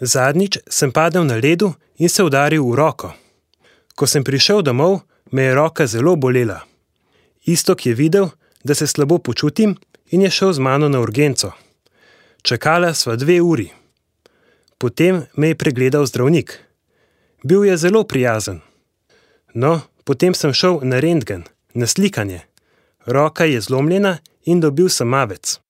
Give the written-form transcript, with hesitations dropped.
Zadnjič sem padel na ledu in se udaril v roko. Ko sem prišel domov, me je roka zelo bolela. Iztok je videl, da se slabo počutim in je šel z mano na urgenco. Čakala sva 2 uri. Potem me je pregledal zdravnik. Bil je zelo prijazen. No, potem sem šel na rentgen, na slikanje. Roka je zlomljena in dobil sem mavec.